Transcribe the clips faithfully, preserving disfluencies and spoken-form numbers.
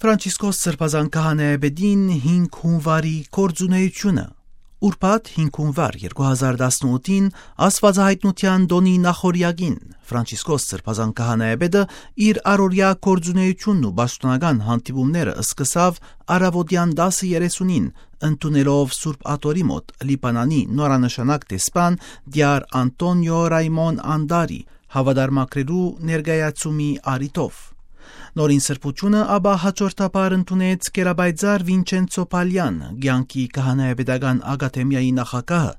Ֆրանցիսկոս Սրբազան Քահանայապետին հինգ հունուարի գործունէությունը։ Ուրբաթ հինգ հունուար երկու հազար տասնութին, Աստուածահայտնութեան տօնի նախօրեակին, Ֆրանցիսկոս Սրբազան Քահանայապետը իր առօրեայ գործունէությունն ու պաշտօնական հանդիպումները սկսաւ առաւօտեան տասը երեսունին, ընդունելով Սուրբ Աթոռի մօտ Լիբանանի նորանշանակ դեսպան Տիար Անտոնիո Ռայմոն Անտարի հաւատարմագրերու ներկայացումի առիթով։ Նորին սրբությունը ապա հաջորդաբար ընդունեց Կերապայծառ Վինչենցո Փալեան, կեանքի քահանայապետական ակադեմիայի նախագահը,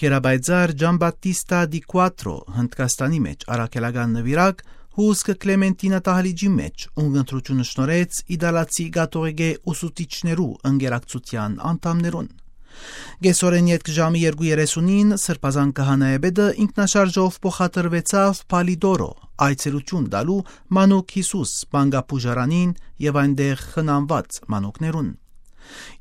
Կերապայծառ Ջամբատիստա Դի Կուատրո, Հնդկաստանի մէջ առաքելական նուիրակ, հուսկ Կլեմենտինա դահլիճի մէջ, ուն ընտրությունը շնորհեց իտալացի կաթողիկէ ուսուցիչներու ընկերակցութեան անդամներուն։ Կեսօրէն ետք ժամի երկու երեսունին Սրբազան Քահանայապետը ինքնաշարժով փոխադրուեցաւ Փալիտորո, այցելութիւն տալու Մանուկ Յիսուս մանկապուժարանին եւ այնտեղ խնամուած մանուկներուն։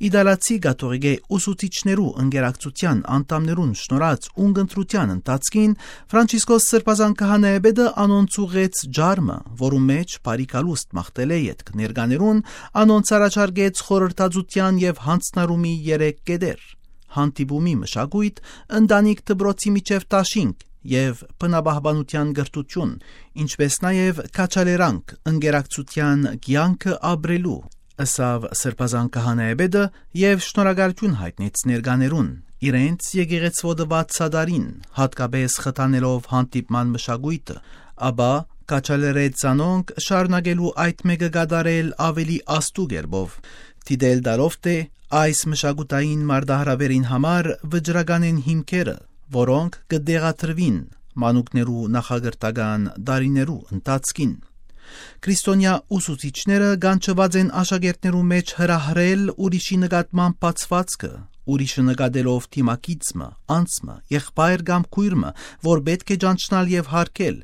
Իտալացի կաթողիկէ ուսուցիչներու ընկերակցութեան անդամներուն շնորհած ուն ընտրութեան ընթացքին Ֆրանցիսկոս Սրբազան Քահանայապետը անոնց ուղղեց ջարմը, որու մէջ բարի գալուստ մաղթելէ ետք ներկաներուն անոնց առաջարկեց խորհրդածութեան եւ յանձնառումի երեք կետեր։ Հանդիպումի մշակոյթ, ընտանիք դպրոցի միջեւ դաշինք եւ բնապահպանութեան կրթութիւն, ինչպէս նաեւ քաջալերանք ընկերակցութեան կեանքը ապրելու, ըսաւ Սրբազան Քահանայապետը եւ շնորհակալութիւն յայտնեց ներկաներուն իրենց եկեղեցւոյ տուած սատարին, յատկապէս խթանելով հանդիպման մշակոյթը, ապա քաջալերեց զանոնք շարունակելու այդ մէկը կատարել աւելի աստու կերպով, դիտել տալով թէ այս մշակութային մարտահրաւերին համար վճռական են հիմքերը, որոնք կը տեղադրուին մանուկներու նախակրթական տարիներու ընթացքին։ Քրիստոնեայ ուսուցիչները կանչուած են աշակերտներու մէջ հրահրել ուրիշի նկատմամբ բացուածքը, ուրիշը նկատելով դիմագիծ մը, անձ մը, եղբայր կամ քոյր մը, որ պէտք է ճանչնալ եւ յարգել,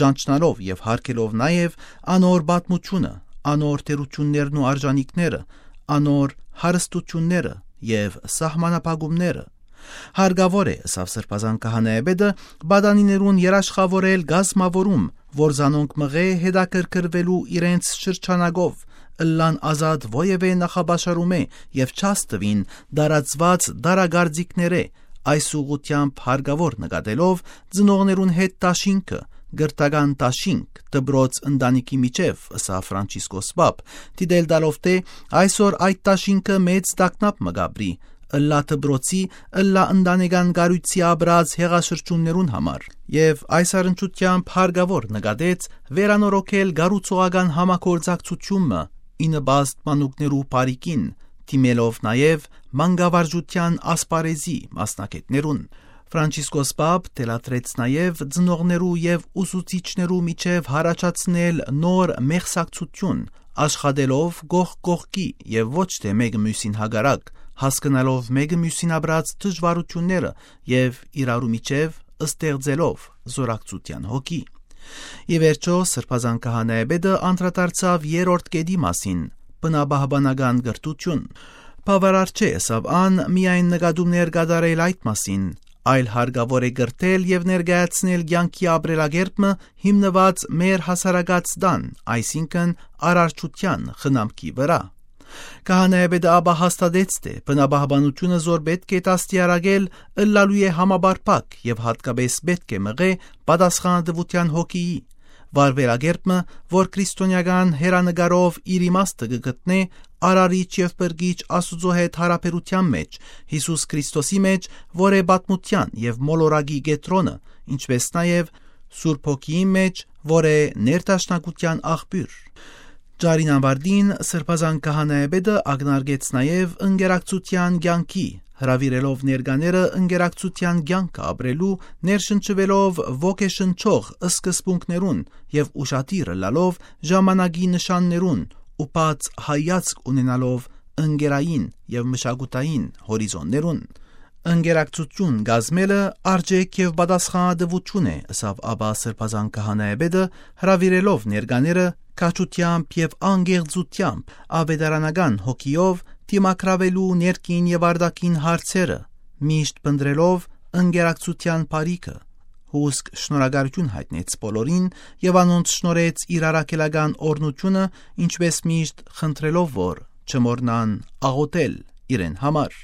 ճանչնալով եւ յարգելով նաեւ անոր պատմութիւնը, անոր թերութիւններն ու արժանիքները, անոր հարստութիւնները եւ սահմանափակումները։ Հարկաւոր է, ըսաւ Սրբազան Քահանայապետը, պատանիներուն երաշխաւորել կազմաւորում, որ զանոնք մղէ հետաքրքրուելու իրենց շրջանակով, ըլլան ազատ որեւէ նախապաշարումէ եւ չհասնուին տարածուած տարակարծիքներէ, այս ուղղութեամբ հարկաւոր նկատելով ծնողներուն հետ դաշինքը, կրթական դաշինք, դպրոց ընտանիքի միջեւ, ըսաւ Ֆրանցիսկոս Պապ, դիտել տալով թէ այսօր այդ դաշինքը մեծ տագնապ մը կ'ապրի, ըլլայ դպրոցի, ըլլայ ընտանեկան կառոյցի ապրած յեղաշրջումներուն համար, եւ այս առնչութեամբ հարկաւոր նկատեց վերանորոգել կառուցողական համագործակցութիւն մը, ի նպաստ մանուկներու բարիքին, դիմելով նաեւ մանկավարժութեան ասպարէզի մասնագէտներուն։ Ֆրանցիսկոս Պապ թելադրեց նաեւ ծնողներու եւ ուսուցիչներու միջեւ յառաջացնել նոր մեղսակցութիւն, աշխատելով կողք կողքի եւ ոչ թէ մէկը միւսին հակառակ, հասկնալով մէկը միւսին ապրած դժուարութիւնները եւ իրարու միջեւ ստեղծելով զորակցութեան հոգի։ Ի վերջոյ, Սրբազան Քահանայապետը անդրադարձաւ երրորդ կետի մասին, բնապահպանական կրթութիւն։ Բաւարար չէ, ըսաւ ան, միայն նկատումներ կատարել այդ մասին, այլ հարկաւոր է կրթել եւ ներկայացնել կեանքի ապրելակերպ մը հիմնուած մեր հասարակաց տան, այսինքն՝ արարչութեան խնամքի վրայ։ Քահանայապետը ապա հաստատեց թէ բնապահպանութիւնը զոր պէտք է դաստիարակել, ըլլալու է համապարփակ եւ յատկապէս պէտք է մղէ պատասխանատուութեան հոգիի, վարուելակերպ մը, որ քրիստոնեական հեռանկարով իր իմաստը կը գտնէ Արարիչ եւ Փրկիչ Աստուծոյ հետ յարաբերութեան մէջ, Յիսուս Քրիստոսի մէջ, որ է պատմութեան եւ մոլորակի կեդրոնը, ինչպէս նաեւ Սուրբ Հոգիին մէջ, որ է ներդաշնակութեան աղբիւր։ Ջարին աւարտին Սրբազան Քահանայապետը ակնարկեց նաեւ ընկերակցութեան կեանքի, հրաւիրելով ներկաները ընկերակցութեան կեանքը ապրելու, ներշնչուելով ոգեշնչող սկզբունքներուն եւ ուշադիր ըլլալով ժամանակի նշաններուն ու բաց հայացք ունենալով ընկերային եւ մշակութային հորիզոններուն։ Ընկերակցութիւն կազմելը արժէք եւ պատասխանատուութիւն է, ըսաւ ապա Սրբազան Քահանայապետը, հրաւիրելով ներկաները քաջութեամբ եւ անկեղծութեամբ, աւետարանական հոգիով դիմագրաւելու ներքին եւ արտաքին հարցերը, միշտ փնտռելով ընկերակցութեան բարիքը, Պուսկ շնորհակալութիւն յայտնեց բոլորին եւ անոնց շնորհեց իր առաքելական օրհնութիւնը, ինչպէս միշտ խնդրելով որ չմոռնան աղօթել իրեն համար։